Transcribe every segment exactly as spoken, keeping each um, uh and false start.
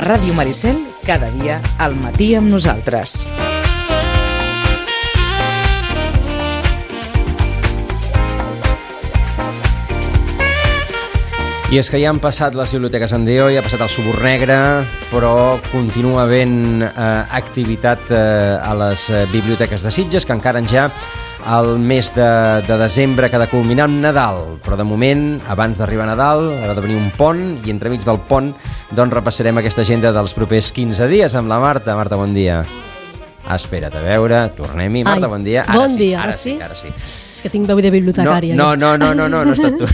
A Ràdio Maricel, cada dia al matí amb nosaltres. I és que ja han passat les biblioteques en Déu, ja ha passat el Subur Negre, però continua havent eh, activitat eh, a les eh, biblioteques de Sitges, que encara ja el mes de, de desembre que ha de culminar amb Nadal. Però de moment, abans d'arribar a Nadal, ha de venir un pont, i entremig del pont doncs repassarem aquesta agenda dels propers quinze dies amb la Marta. Marta, bon dia. Ah, espera't, a veure, tornem-hi. Marta, Ai, bon dia. Ara bon sí, dia, ara ara sí, sí? ara sí. És que tinc veu de bibliotecària. No, no, no, no, no, no, no ha estat tu.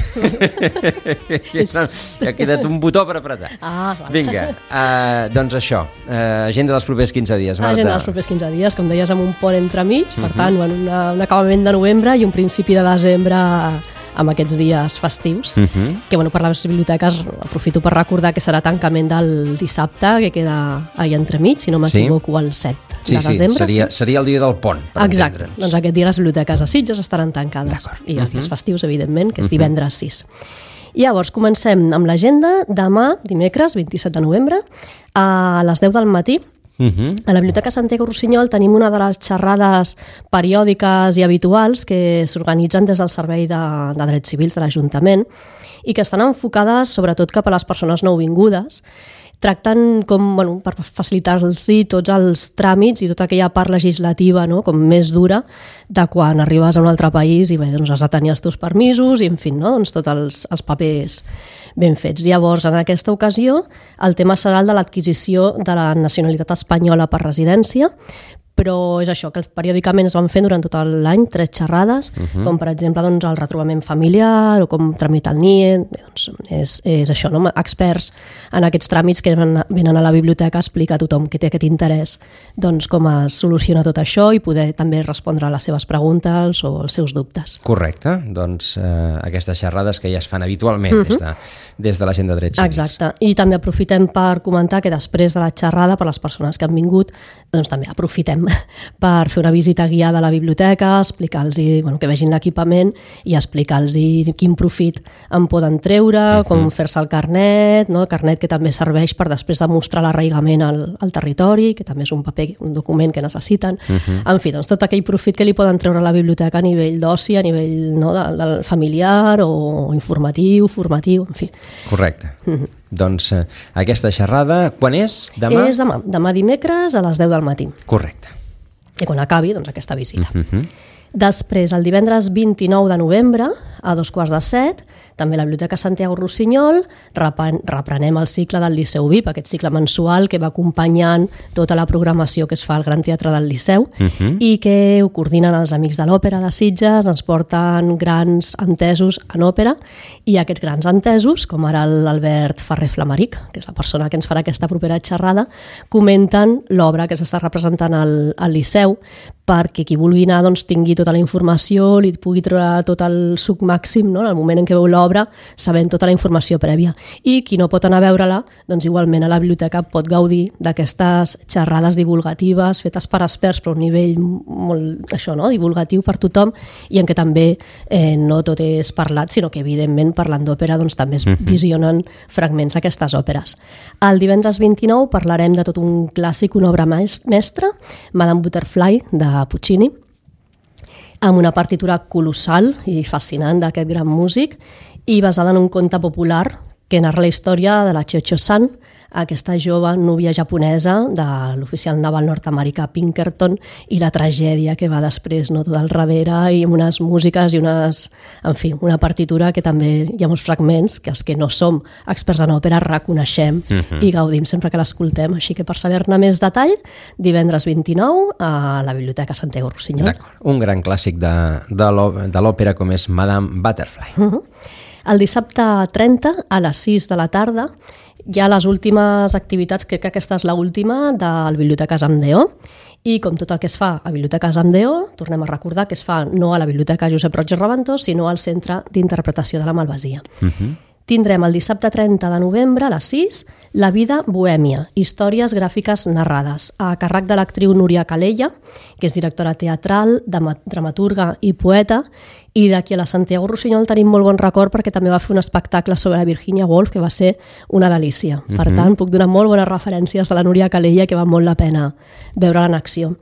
Ja ha quedat un botó per apretar. Ah, vale. Vinga, uh, doncs això, uh, agenda dels propers quinze dies, Marta. Agenda dels propers quinze dies, com deies, amb un pont entremig, per tant, bueno, una, un acabament de novembre i un principi de desembre amb aquests dies festius, uh -huh. que bueno, per les biblioteques aprofito per recordar que serà tancament del dissabte, que queda allà entremig, si no m'equivoco, sí. el set sí, de desembre. Sí, seria, seria el dia del pont, per Exacte, entendre'ns. doncs aquest dia les biblioteques a Sitges estaran tancades. I els dies festius, evidentment, que és divendres sis. Llavors, comencem amb l'agenda. Demà, dimecres, vint-i-set de novembre, a les deu del matí, Uh-huh. a la Biblioteca Santiago Rossinyol tenim una de les xerrades periòdiques i habituals que s'organitzen des del Servei de, de Drets Civils de l'Ajuntament i que estan enfocades sobretot cap a les persones nouvingudes. Tracten com, bueno, per facilitar-los tots els tràmits i tota aquella part legislativa, no?, com més dura de quan arribes a un altre país i bé, doncs has de tenir els teus permisos i en fi, no?, doncs tots els, els papers ben fets. Llavors, en aquesta ocasió, el tema serà el de l'adquisició de la nacionalitat espanyola per residència, però és això, que periòdicament es van fent durant tot l'any tres xerrades, uh-huh. com per exemple doncs, el retrobament familiar o com tramitar el N I E, doncs, és, és això, no? Experts en aquests tràmits que venen a la biblioteca a explicar a tothom que té aquest interès doncs, com es soluciona tot això i poder també respondre a les seves preguntes o els seus dubtes. Correcte, doncs eh, aquestes xerrades que ja es fan habitualment uh-huh. des de, des de l'agenda de drets civils. Exacte, i també aprofitem per comentar que després de la xerrada, per les persones que han vingut, doncs també aprofitem per fer una visita guiada a la biblioteca, explicar-los, bueno, que vegin l'equipament i explicar-los quin profit en poden treure, uh-huh. com fer-se el carnet, no? El carnet que també serveix per després demostrar l'arraigament al, al territori, que també és un paper, un document que necessiten. Uh-huh. En fi, doncs tot aquell profit que li poden treure a la biblioteca a nivell d'oci, a nivell, no, de, de familiar o informatiu, formatiu, en fi. Correcte. Uh-huh. Doncs eh, aquesta xerrada, quan és? Demà? És demà, demà dimecres a les deu del matí. Correcte. I quan acabi, doncs, aquesta visita. Uh-huh. Després, el divendres vint-i-nou de novembre, a dos quarts de set, també a la Biblioteca Santiago Rossinyol, reprenem el cicle del Liceu V I P, aquest cicle mensual que va acompanyant tota la programació que es fa al Gran Teatre del Liceu uh-huh. i que ho coordinen els Amics de l'Òpera de Sitges, ens porten grans entesos en òpera i aquests grans entesos, com ara l'Albert Ferrer Flamaric, que és la persona que ens farà aquesta propera xerrada, comenten l'obra que s'està representant al, al Liceu perquè qui vulgui anar doncs, tingui tota la informació, li pugui treure tot el suc màxim, no?, en el moment en què veu l'obra, sabent tota la informació prèvia. I qui no pot anar a veure-la, doncs igualment a la biblioteca pot gaudir d'aquestes xerrades divulgatives fetes per experts, però a un nivell molt, això, no?, divulgatiu per tothom, i en què també eh, no tot és parlat, sinó que evidentment parlant d'òpera doncs, també es visionen fragments d'aquestes òperes. El divendres vint-i-nou parlarem de tot un clàssic, una obra mestra, Madame Butterfly, de Puccini, amb una partitura colossal i fascinant d'aquest gran músic i basada en un conte popular que narra la història de la Cho-Cho-san, aquesta jove núvia japonesa de l'oficial naval nord-americà Pinkerton i la tragèdia que va després, no, tot al darrere, i amb unes músiques i unes, en fi, una partitura que també hi ha molts fragments que els que no som experts en òpera reconeixem uh-huh. i gaudim sempre que l'escoltem. Així que per saber-ne més detall, divendres vint-i-nou a la Biblioteca Santiago Rossinyol. D'acord, un gran clàssic de, de l'òpera com és Madame Butterfly. Uh-huh. El dissabte trenta, a les sis de la tarda, hi ha les últimes activitats, crec que aquesta és l'última, del Biblioteques Amdeo, i com tot el que es fa a Biblioteques Amdeo, tornem a recordar que es fa no a la Biblioteca Josep Roig i Reventós, sinó al Centre d'Interpretació de la Malvasia. Uh-huh. tindrem el dissabte trenta de novembre a les sis La vida bohèmia, històries gràfiques narrades, a càrrec de l'actriu Núria Calella, que és directora teatral, dramaturga i poeta, i d'aquí a la Santiago Rossinyol tenim molt bon record perquè també va fer un espectacle sobre la Virginia Woolf que va ser una delícia. Uh-huh. Per tant, puc donar molt bones referències de la Núria Calella que val molt la pena veure-la en acció.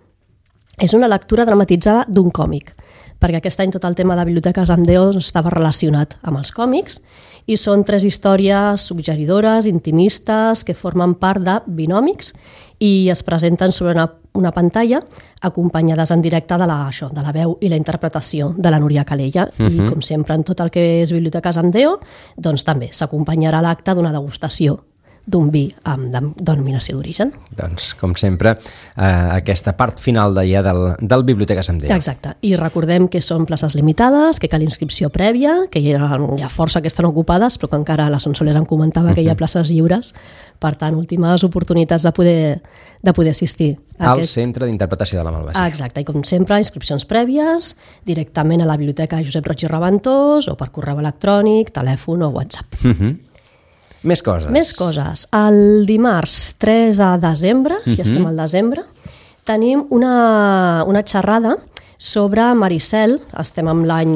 És una lectura dramatitzada d'un còmic, perquè aquest any tot el tema de biblioteques amb Déu estava relacionat amb els còmics, i són tres històries suggeridores, intimistes, que formen part de binòmics i es presenten sobre una, una pantalla acompanyades en directe de la, això, de la veu i la interpretació de la Núria Calella. Uh-huh. I com sempre en tot el que és Biblioteques amb Déu, doncs també s'acompanyarà l'acte d'una degustació d'un vi amb denominació d'origen. Doncs, com sempre, eh, aquesta part final d'allà del, del Biblioteques amb Déu. Exacte. I recordem que són places limitades, que cal inscripció prèvia, que hi ha, hi ha força que estan ocupades, però que encara la Sonsoles em comentava que hi ha places lliures. Per tant, últimes oportunitats de poder, de poder assistir. Al aquest... Centre d'Interpretació de la Malvasia. Exacte. I com sempre, inscripcions prèvies, directament a la Biblioteca Josep Roig i Raventós, o per correu electrònic, telèfon o WhatsApp. Uh-huh. Més coses. Més coses. El dimarts tres de desembre, uh-huh. ja estem al desembre, tenim una, una xerrada sobre Maricel, estem amb l'any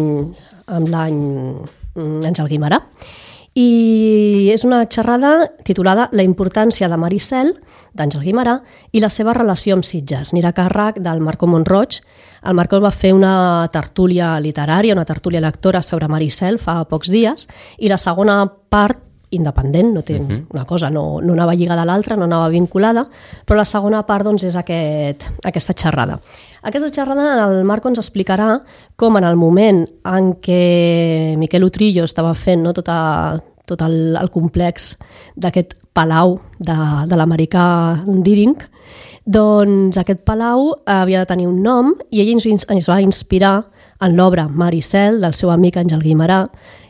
amb l'any Àngel Guimerà, i és una xerrada titulada La importància de Maricel, d'Àngel Guimerà, i la seva relació amb Sitges. Anirà a càrrec del Marco Montroig. El Marco va fer una tertúlia literària, una tertúlia lectora sobre Maricel fa pocs dies, i la segona part independent, no té uh-huh. una cosa, no, no anava lligada a l'altra, no anava vinculada, però la segona part doncs, és aquest, aquesta xerrada. Aquesta xerrada el Marco ens explicarà com en el moment en què Miquel Utrillo estava fent no, tot, a, tot el, el complex d'aquest palau de, de l'americà Deering, doncs aquest palau havia de tenir un nom i ell ens, ens va inspirar en l'obra Maricel del seu amic Àngel Guimerà,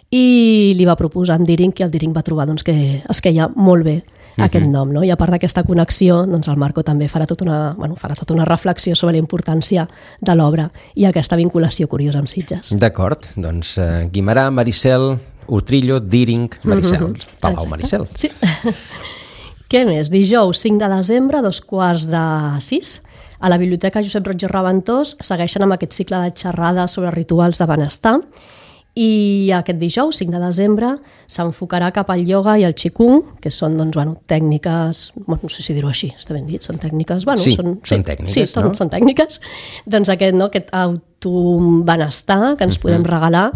i li va proposar en Deering i el Deering va trobar doncs, que es queia molt bé uh-huh. aquest nom. No? I a part d'aquesta connexió, doncs, el Marco també farà tota, una, bueno, farà tota una reflexió sobre la importància de l'obra i aquesta vinculació curiosa amb Sitges. D'acord, doncs uh, Guimerà, Maricel, Utrillo, Deering, Maricel, uh-huh. Palau Maricel. Sí. Què més? Dijous cinc de desembre, dos quarts de sis, a la Biblioteca Josep Roig i Raventós segueixen amb aquest cicle de xerrades sobre rituals de benestar. I aquest dijous, cinc de desembre, s'enfocarà cap al ioga i al qigong, que són doncs, bueno, tècniques, bueno, no sé si dir-ho així, està ben dit, són tècniques... Bueno, sí, són, són sí, tècniques, sí, no? Són tècniques. Doncs aquest, no, aquest autobenestar que ens uh-huh. podem regalar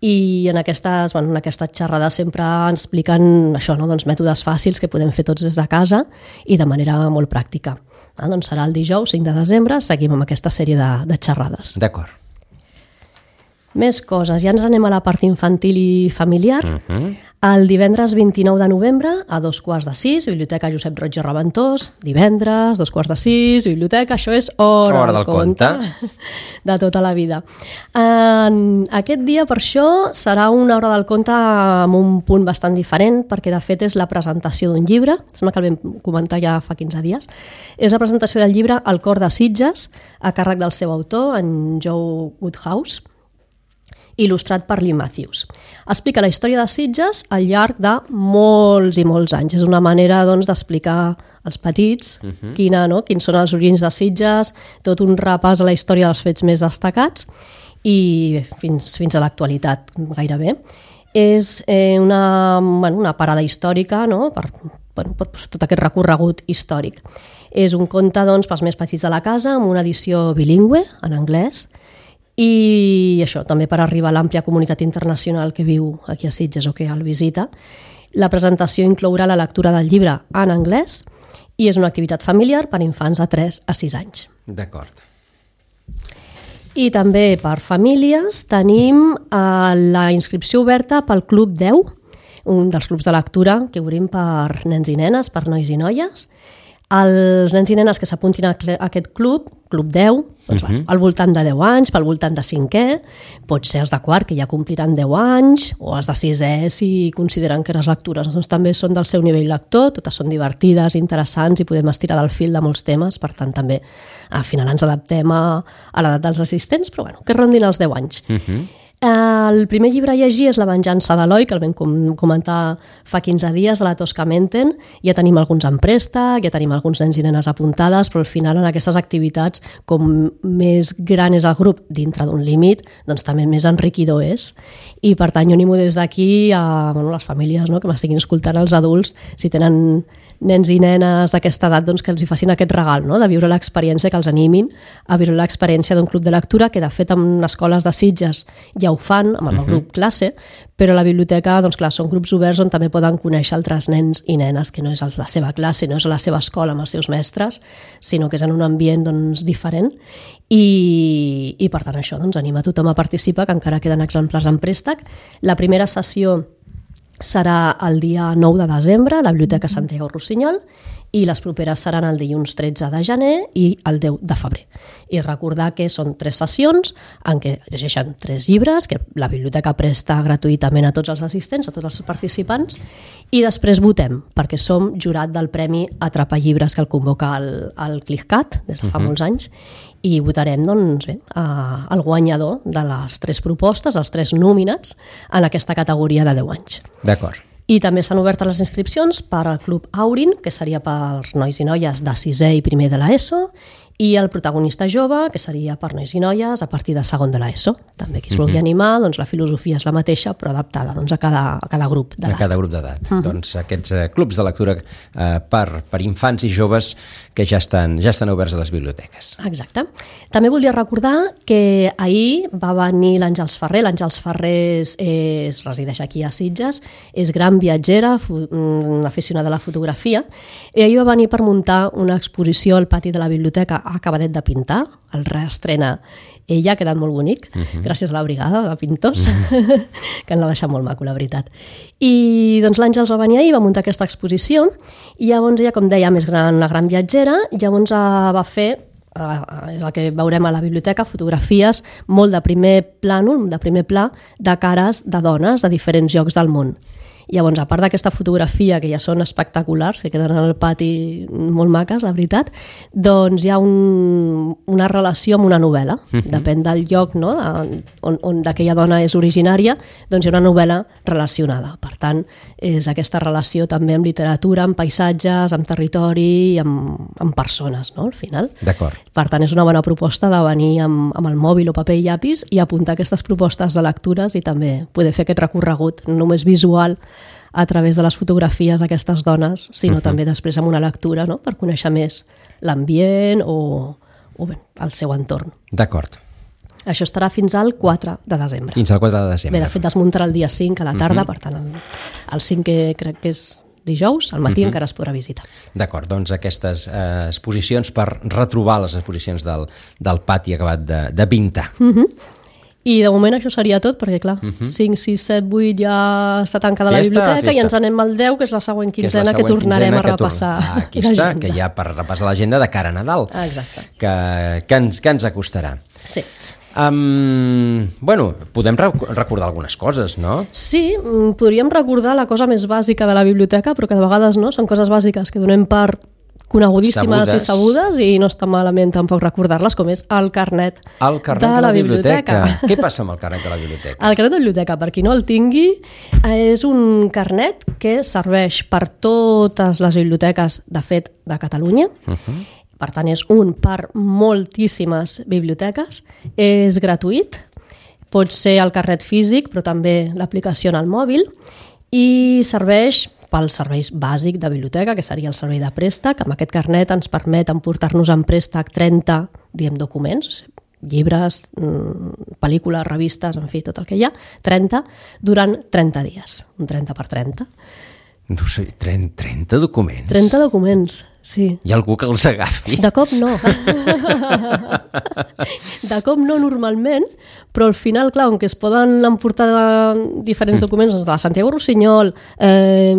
i en aquestes, bueno, en aquestes xerrades sempre ens expliquen això, no? Doncs mètodes fàcils que podem fer tots des de casa i de manera molt pràctica. Ah, doncs serà el dijous, cinc de desembre, seguim amb aquesta sèrie de, de xerrades. D'acord. Més coses, ja ens anem a la part infantil i familiar. Uh-huh. El divendres vint-i-nou de novembre, a dos quarts de sis, Biblioteca Josep Roig i Raventós, divendres, dos quarts de sis, biblioteca, això és hora, hora del conte de tota la vida. En aquest dia, per això, serà una hora del conte amb un punt bastant diferent, perquè de fet és la presentació d'un llibre, sembla que el vam comentar ja fa quinze dies, és la presentació del llibre El cor de Sitges, a càrrec del seu autor, en Joe Woodhouse, il·lustrat per Lee Matthews. Explica la història de Sitges al llarg de molts i molts anys. És una manera doncs, d'explicar als petits uh-huh. quina, no? quins són els orígens de Sitges, tot un repàs a la història dels fets més destacats i fins, fins a l'actualitat gairebé. És eh, una, bueno, una parada històrica no? per, bueno, per tot aquest recorregut històric. És un conte doncs, pels més petits de la casa amb una edició bilingüe en anglès. I això, també per arribar a l'àmplia comunitat internacional que viu aquí a Sitges o que el visita. La presentació inclourà la lectura del llibre en anglès i és una activitat familiar per infants de tres a sis anys. D'acord. I també per famílies tenim eh, la inscripció oberta pel Club deu, un dels clubs de lectura que obrim per nens i nenes, per nois i noies. Els nens i nenes que s'apuntin a aquest club, Club deu, doncs, uh-huh. al voltant de deu anys, pel voltant de cinquè, pot ser els de quart, que ja compliran deu anys, o els de sisè, si consideren que les lectures doncs, també són del seu nivell lector, totes són divertides, interessants i podem estirar del fil de molts temes, per tant també al final ens adaptem a, a l'edat dels assistents, però bueno, que rondin els deu anys. Uh-huh. El primer llibre a llegir és La venjança d'Eloi, que el vam com comentar fa quinze dies, de la Tosca Menten. Ja tenim alguns en préstec, ja tenim alguns nens i nenes apuntades, però al final en aquestes activitats, com més gran és el grup dintre d'un límit, doncs també més enriquidor és. I per tant jo animo des d'aquí a bueno, les famílies, no?, que m'estiguin escoltant, els adults, si tenen nens i nenes d'aquesta edat, doncs que els hi facin aquest regal, no?, de viure l'experiència, que els animin a viure l'experiència d'un club de lectura, que de fet en escoles de Sitges ja ho fan, amb el uh-huh. grup classe, però a la biblioteca, doncs clar, són grups oberts on també poden conèixer altres nens i nenes, que no és la seva classe, no és a la seva escola amb els seus mestres, sinó que és en un ambient doncs, diferent, i, i per tant això doncs, anima tothom a participar, que encara queden exemplars en préstec. La primera sessió serà el dia nou de desembre a la Biblioteca Santiago Rossinyol i les properes seran el dilluns tretze de gener i el deu de febrer. I recordar que són tres sessions en què llegeixen tres llibres que la biblioteca presta gratuïtament a tots els assistents, a tots els participants, i després votem, perquè som jurat del Premi Atrapa Llibres que el convoca el, el CLICCAT des de fa uh-huh. molts anys, i votarem doncs, bé, a, el guanyador de les tres propostes, els tres nominats en aquesta categoria de deu anys. D'acord. I també estan obertes les inscripcions per al Club Aurin, que seria per nois i noies de sisè i primer de l'ESO, i el protagonista jove, que seria per nois i noies a partir de segon de l'ESO. També qui es vulgui animar, doncs la filosofia és la mateixa, però adaptada doncs, a, cada, a cada grup d'edat. A cada grup d'edat. Uh-huh. Doncs aquests eh, clubs de lectura eh, per, per infants i joves que ja estan, ja estan oberts a les biblioteques. Exacte. També volia recordar que ahir va venir l'Àngels Ferrer. L'Àngels Ferrer és, és, resideix aquí a Sitges, és gran viatgera, una aficionada a la fotografia, i ahir va venir per muntar una exposició al pati de la biblioteca acabadet de pintar, el reestrena ella, ha quedat molt bonic, uh-huh. gràcies a la brigada de pintors, uh-huh. que ens l'ha deixat molt maco, la veritat. I doncs l'Àngels va venir ahir, va muntar aquesta exposició, i llavors ella, com deia, més gran, una gran viatgera, llavors va fer, és el que veurem a la biblioteca, fotografies molt de primer plànol, de primer pla, de cares de dones de diferents llocs del món. Llavors, a part d'aquesta fotografia, que ja són espectaculars, que queden al pati molt maques, la veritat, doncs hi ha un, una relació amb una novel·la. Uh-huh. Depèn del lloc, no?, de, on, on d'aquella dona és originària, doncs hi ha una novel·la relacionada. Per tant, és aquesta relació també amb literatura, amb paisatges, amb territori i amb, amb persones, no?, al final. D'acord. Per tant, és una bona proposta de venir amb, amb el mòbil o paper i llapis i apuntar aquestes propostes de lectures i també poder fer aquest recorregut, no només visual, a través de les fotografies d'aquestes dones, sinó uh-huh. també després amb una lectura, no?, per conèixer més l'ambient o, o bé, el seu entorn. D'acord. Això estarà fins al quatre de desembre. Fins al quatre de desembre. Bé, de fet es muntarà el dia cinc a la tarda, uh-huh. per tant el, el cinc que crec que és dijous, al matí uh-huh. encara es podrà visitar. D'acord, doncs aquestes eh, exposicions per retrobar les exposicions del, del pati acabat de, de pintar. Uh-huh. I de moment això seria tot, perquè clar, uh-huh. cinc, sis, set, vuit ja està tancada la biblioteca festa. I ens anem al deu, que és la següent quinzena, que, que tornarem a repassar ah, aquí està, que ja per repassar l'agenda de cara a Nadal. Exacte. Que, que, ens, que ens acostarà. Sí. Um, bueno, podem recordar algunes coses, no? Sí, podríem recordar la cosa més bàsica de la biblioteca, però que de vegades no, són coses bàsiques que donem per conegudíssimes sabudes. i sabudes, i no està malament tampoc recordar-les, com és el carnet, el carnet de, de la, la biblioteca. biblioteca. Què passa amb el carnet de la biblioteca? El carnet de la biblioteca, per qui no el tingui, és un carnet que serveix per totes les biblioteques, de fet, de Catalunya. Uh-huh. Per tant, és un per moltíssimes biblioteques. És gratuït, pot ser el carnet físic, però també l'aplicació en el mòbil, i serveix pel serveis bàsic de biblioteca, que seria el servei de préstec. Amb aquest carnet ens permet emportar-nos en préstec trenta, diguem, documents, llibres, pel·lícules, revistes, en fi, tot el que hi ha, trenta, durant trenta dies, un trenta per trenta. No sé, trenta documents? trenta documents, sí. Hi ha algú que els agafi? De cop no. De cop no normalment, però al final, clar, on que es poden emportar diferents documents, doncs de la Santiago Rossinyol, eh,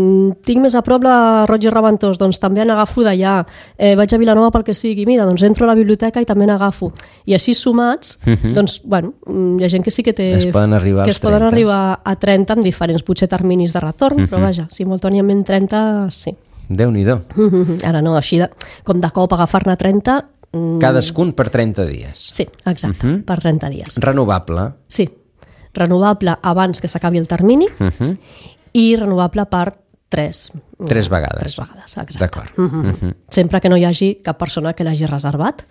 tinc més a prop la Roig i Reventós, doncs també n'agafo d'allà, eh, vaig a Vilanova pel que sigui, mira, doncs entro a la biblioteca i també n'agafo. I així sumats, uh-huh. doncs, bueno, hi ha gent que sí que té... Es poden arribar que es poden arribar a trenta amb diferents, potser terminis de retorn, uh-huh. però vaja, simultàniament trenta, sí. Déu-n'hi-do. Uh-huh. Ara no, així de, com de cop agafar-ne trenta... Cadascun per trenta dies. Sí, exacte, uh-huh. per trenta dies. Renovable. Sí, renovable abans que s'acabi el termini Uh-huh. i renovable per tres. Tres vegades. Tres vegades, exacte. D'acord. Uh -huh. Uh-huh. Sempre que no hi hagi cap persona que l'hagi reservat.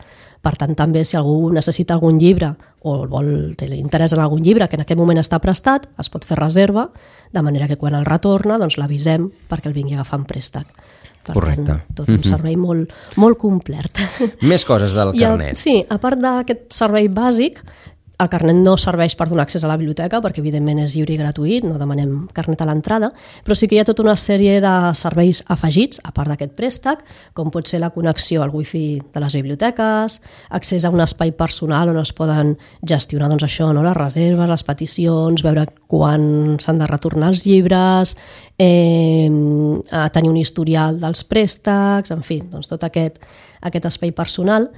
Per tant, també si algú necessita algun llibre o vol, té interès en algun llibre que en aquest moment està prestat, es pot fer reserva, de manera que quan el retorna doncs l'avisem perquè el vingui a agafar en préstec. Per Correcte. tant, tot un servei molt, molt complet. Més coses del I el- carnet. Sí, a part d'aquest servei bàsic, el carnet no serveix per donar accés a la biblioteca perquè evidentment és lliure i gratuït, no demanem carnet a l'entrada, però sí que hi ha tota una sèrie de serveis afegits, a part d'aquest préstec, com pot ser la connexió al wifi de les biblioteques, accés a un espai personal on es poden gestionar doncs això, no? Les reserves, les peticions, veure quan s'han de retornar els llibres, eh, a tenir un historial dels préstecs, en fi, doncs tot aquest, aquest espai personal.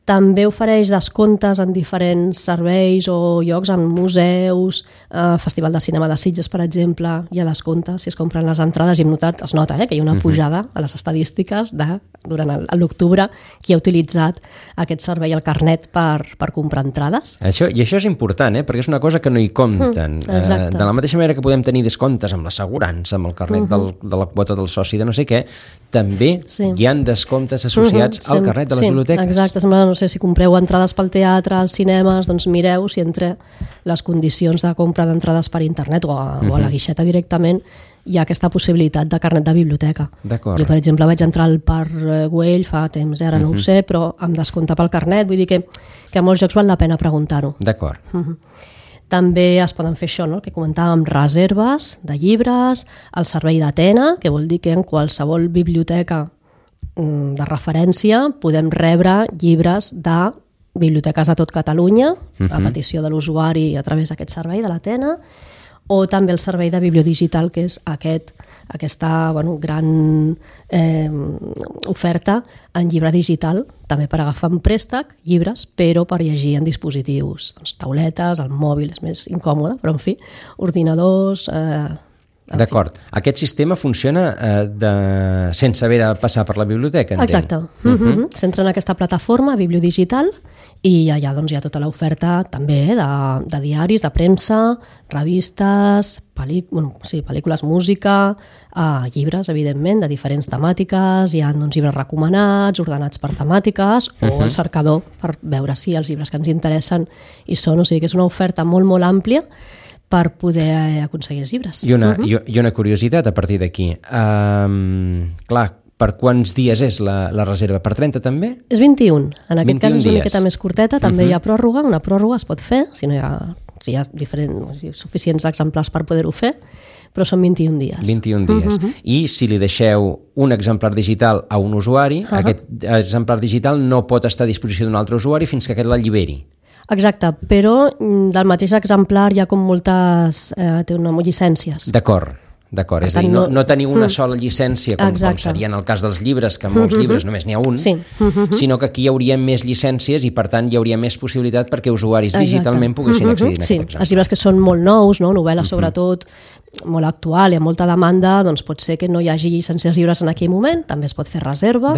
També ofereix descomptes en diferents serveis o llocs, en museus, eh, Festival de Cinema de Sitges, per exemple, hi ha descomptes si es compren les entrades i hem notat, es nota eh, que hi ha una pujada a les estadístiques de, durant el- l'octubre, qui ha utilitzat aquest servei, el carnet, per, per comprar entrades. Això, I això és important, eh? Perquè és una cosa que no hi compten. Mm, exacte. Eh, de la mateixa manera que podem tenir descomptes amb l'assegurança, amb el carnet del, de la quota del soci de no sé què, també Sí. hi han descomptes associats Mhm, al sem- carnet de les sí, biblioteques. Exacte, sembla, no sé, si compreu entrades pel teatre, als cinemes, doncs mireu si entre les condicions de compra d'entrades per internet o a, o a la guixeta directament hi ha aquesta possibilitat de carnet de biblioteca. D'acord. Jo, per exemple, vaig entrar al Parc eh, Güell fa temps, eh, ara no ho sé, però amb descompte pel carnet, vull dir que, que a molts llocs val la pena preguntar-ho. D'acord. També es poden fer això, no? El que comentàvem, reserves de llibres, el servei d'Atena, que vol dir que en qualsevol biblioteca mm, de referència podem rebre llibres de biblioteques de tot Catalunya, a petició de l'usuari a través d'aquest servei de l'Atena, o també el servei de bibliodigital, que és aquest, aquesta bueno, gran eh, oferta en llibre digital, també per agafar en préstec llibres, però per llegir en dispositius, doncs, tauletes, el mòbil és més incòmode, però en fi, ordinadors... Eh, en D'acord. Aquest sistema funciona eh, de... sense haver de passar per la biblioteca, entenc. Exacte. Uh -huh. S'entra en aquesta plataforma bibliodigital i allà doncs, hi ha tota l'oferta també eh, de, de diaris, de premsa, revistes, pel·li... bueno, sí, pel·lícules, música, eh, llibres, evidentment, de diferents temàtiques, hi ha doncs, llibres recomanats, ordenats per temàtiques, uh -huh. o el cercador per veure si els llibres que ens interessen hi són. O sigui que és una oferta molt, molt àmplia per poder aconseguir els llibres. I una, uh -huh. i, i una curiositat a partir d'aquí. Um, clar, per quants dies és la, la reserva? Per trenta també? És vint-i-un. En aquest vint-i-un cas és una dies. miqueta més curteta, també uh -huh. hi ha pròrroga, una pròrroga es pot fer, si no hi ha, si hi ha diferents, si hi ha suficients exemplars per poder-ho fer, però són vint-i-un dies. vint-i-un dies. Uh -huh. I si li deixeu un exemplar digital a un usuari, uh -huh. aquest exemplar digital no pot estar a disposició d'un altre usuari fins que aquest l'alliberi. Exacte, però del mateix exemplar hi ha com moltes... Eh, té una, llicències. D'acord. D'acord, és a dir, no, no teniu una sola llicència, com, com seria en el cas dels llibres, que en molts llibres només n'hi ha un, sí. sinó que aquí hi hauria més llicències i, per tant, hi hauria més possibilitat perquè usuaris digitalment poguessin accedir a sí, aquest exemplar. els llibres que són molt nous, no? Novel·la sobretot, molt actual i amb molta demanda, doncs pot ser que no hi hagi llicències dels llibres en aquell moment, també es pot fer reserva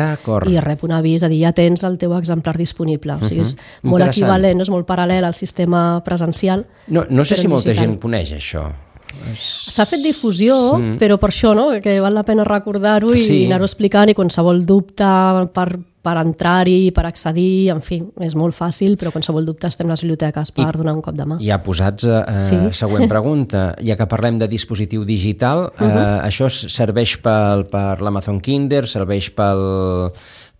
i rep un avís, a dir, ja tens el teu exemplar disponible. O sigui, és molt equivalent, no? És molt paral·lel al sistema presencial. No, no sé si molta gent coneix això. S'ha fet difusió, sí. però per això, no? Que val la pena recordar-ho i sí. anar-ho explicant, i qualsevol dubte per, per entrar-hi, per accedir, en fi, és molt fàcil, però qualsevol dubte estem a les biblioteques per I, donar un cop de mà. Ja posats a eh, sí. següent pregunta, ja que parlem de dispositiu digital, uh -huh. eh, això serveix pel, per l'Amazon Kindle, serveix pel...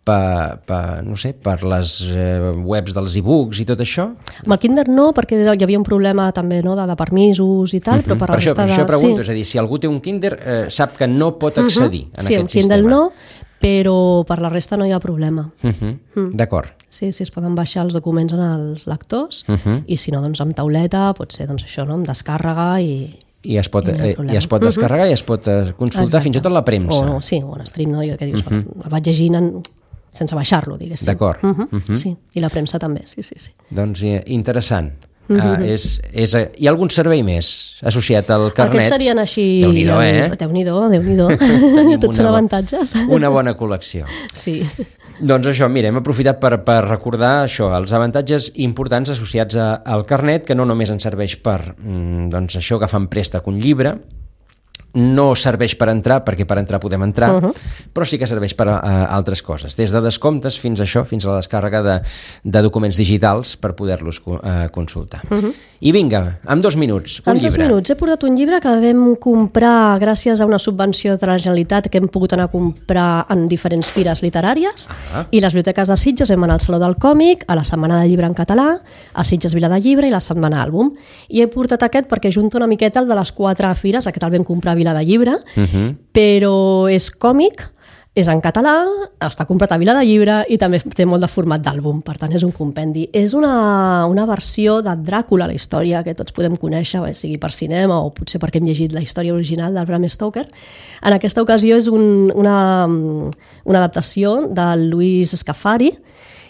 Per, per, no sé, per les eh, webs dels e-books i tot això? Amb el Kindle no, perquè hi havia un problema també no, de, de permisos i tal, uh -huh. però per, per la això, resta per de... això pregunto, sí. és a dir, si algú té un Kindle eh, sap que no pot accedir uh -huh. en sí, aquest sistema. Sí, sistema. Kindle no, però per la resta no hi ha problema. Uh -huh. mm. D'acord. Sí, sí, es poden baixar els documents en els lectors uh -huh. i si no, doncs amb tauleta, pot ser doncs això, no, amb descàrrega i... I es pot, eh, i es pot descarregar uh -huh. i es pot consultar Exacte. fins i tot la premsa. O, sí, o en stream, no? Jo que dius, uh -huh. el vaig llegint en... sense baixar-lo, diguéssim. D'acord. Uh -huh. uh -huh. Sí, i la premsa també, sí, sí, sí. Doncs eh, interessant. Uh, és, és, hi ha algun servei més associat al carnet? Aquests serien així... Déu-n'hi-do, eh? Déu-n'hi-do, Déu-n'hi-do. Tots són avantatges. Una bona col·lecció. Sí. Doncs això, mira, hem aprofitat per, per recordar això, els avantatges importants associats a, al carnet, que no només ens serveix per doncs això, agafar en préstec un llibre, no serveix per entrar, perquè per entrar podem entrar, uh -huh. però sí que serveix per a, a altres coses, des de descomptes fins a això, fins a la descàrrega de, de documents digitals per poder-los uh, consultar. Uh -huh. I vinga, en dos minuts, un en llibre. En dos minuts he portat un llibre que vam comprar gràcies a una subvenció de la Generalitat que hem pogut anar a comprar en diferents fires literàries ah. i les biblioteques de Sitges vam anar al Saló del Còmic, a la Setmana del Llibre en català, a Sitges Vila de Llibre i la Setmana Àlbum. I he portat aquest perquè junta una miqueta el de les quatre fires, aquest el vam comprar a Vila de Llibre, uh-huh. però és còmic, és en català, està comprat a Vila de Llibre i també té molt de format d'àlbum, per tant és un compendi. És una, una versió de Dràcula, la història que tots podem conèixer, sigui per cinema o potser perquè hem llegit la història original del Bram Stoker. En aquesta ocasió és un, una, una adaptació de Luis Scafari,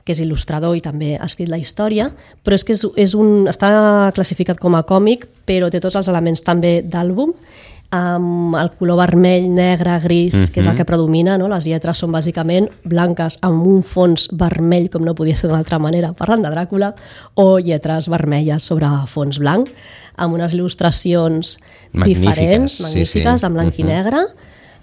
que és il·lustrador i també ha escrit la història, però és que és, és un, està classificat com a còmic, però té tots els elements també d'àlbum, amb el color vermell, negre, gris, uh-huh. que és el que predomina, no? Les lletres són bàsicament blanques amb un fons vermell, com no podia ser d'una altra manera, parlant de Dràcula, o lletres vermelles sobre fons blanc, amb unes il·lustracions magnífiques, diferents, magnífiques, sí, sí. en blanc uh-huh. i negre.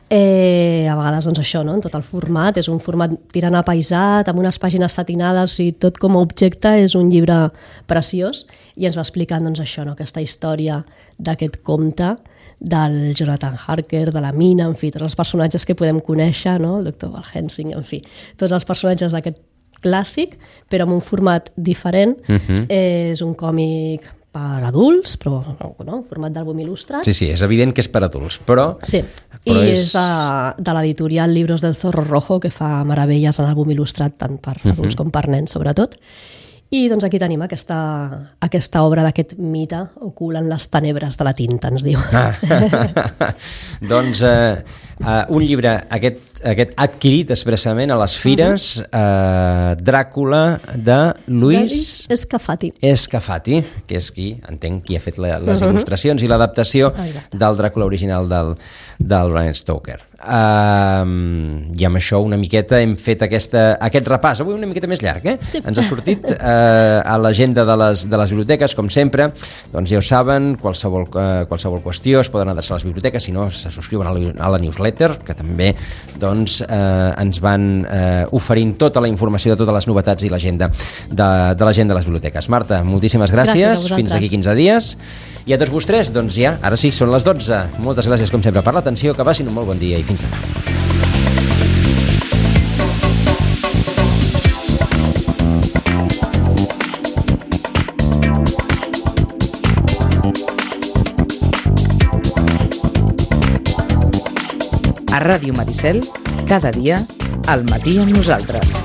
Eh, a vegades doncs això, no? En tot el format, és un format tirant apaïsat, amb unes pàgines satinades i tot com a objecte és un llibre preciós i ens va explicant doncs, això, no? Aquesta història d'aquest conte del Jonathan Harker, de la Mina, en fi, tots els personatges que podem conèixer, no? El doctor Van Helsing, en fi, tots els personatges d'aquest clàssic, però amb un format diferent. Uh-huh. eh, és un còmic per adults, però no, un format d'àlbum il·lustrat. Sí, sí, és evident que és per adults, però... Sí, però i és, és de, de l'editorial Libros del Zorro Rojo, que fa meravelles en àlbum il·lustrat tant per adults uh-huh. com per nens, sobretot. I doncs aquí tenim aquesta, aquesta obra d'aquest mite ocult en les tenebres de la tinta, ens diu. Ah. Doncs eh, uh, un llibre, aquest, aquest adquirit expressament a les fires, uh-huh. uh, Dràcula, de Luis Scafati. Scafati, que és qui, entenc, qui ha fet la, les uh-huh. il·lustracions i l'adaptació Exacte. Del Dràcula original del, del Bram Stoker. Uh, I amb això una miqueta hem fet aquesta, aquest repàs, avui una miqueta més llarg, eh? Sí. Ens ha sortit uh, a l'agenda de les, de les biblioteques, com sempre, doncs ja ho saben, qualsevol, uh, qualsevol qüestió es poden adreçar a les biblioteques, si no se subscriuen a la, a la newsletter, que també doncs, uh, ens van uh, oferint tota la informació de totes les novetats i l'agenda de, de l'agenda de les biblioteques. Marta, moltíssimes gràcies, gràcies fins aquí quinze dies, i a tots vostès, doncs ja, ara sí, són les dotze. Moltes gràcies com sempre per l'atenció, que passin un molt bon dia i fins demà. A Ràdio Maricel, cada dia, al matí amb nosaltres.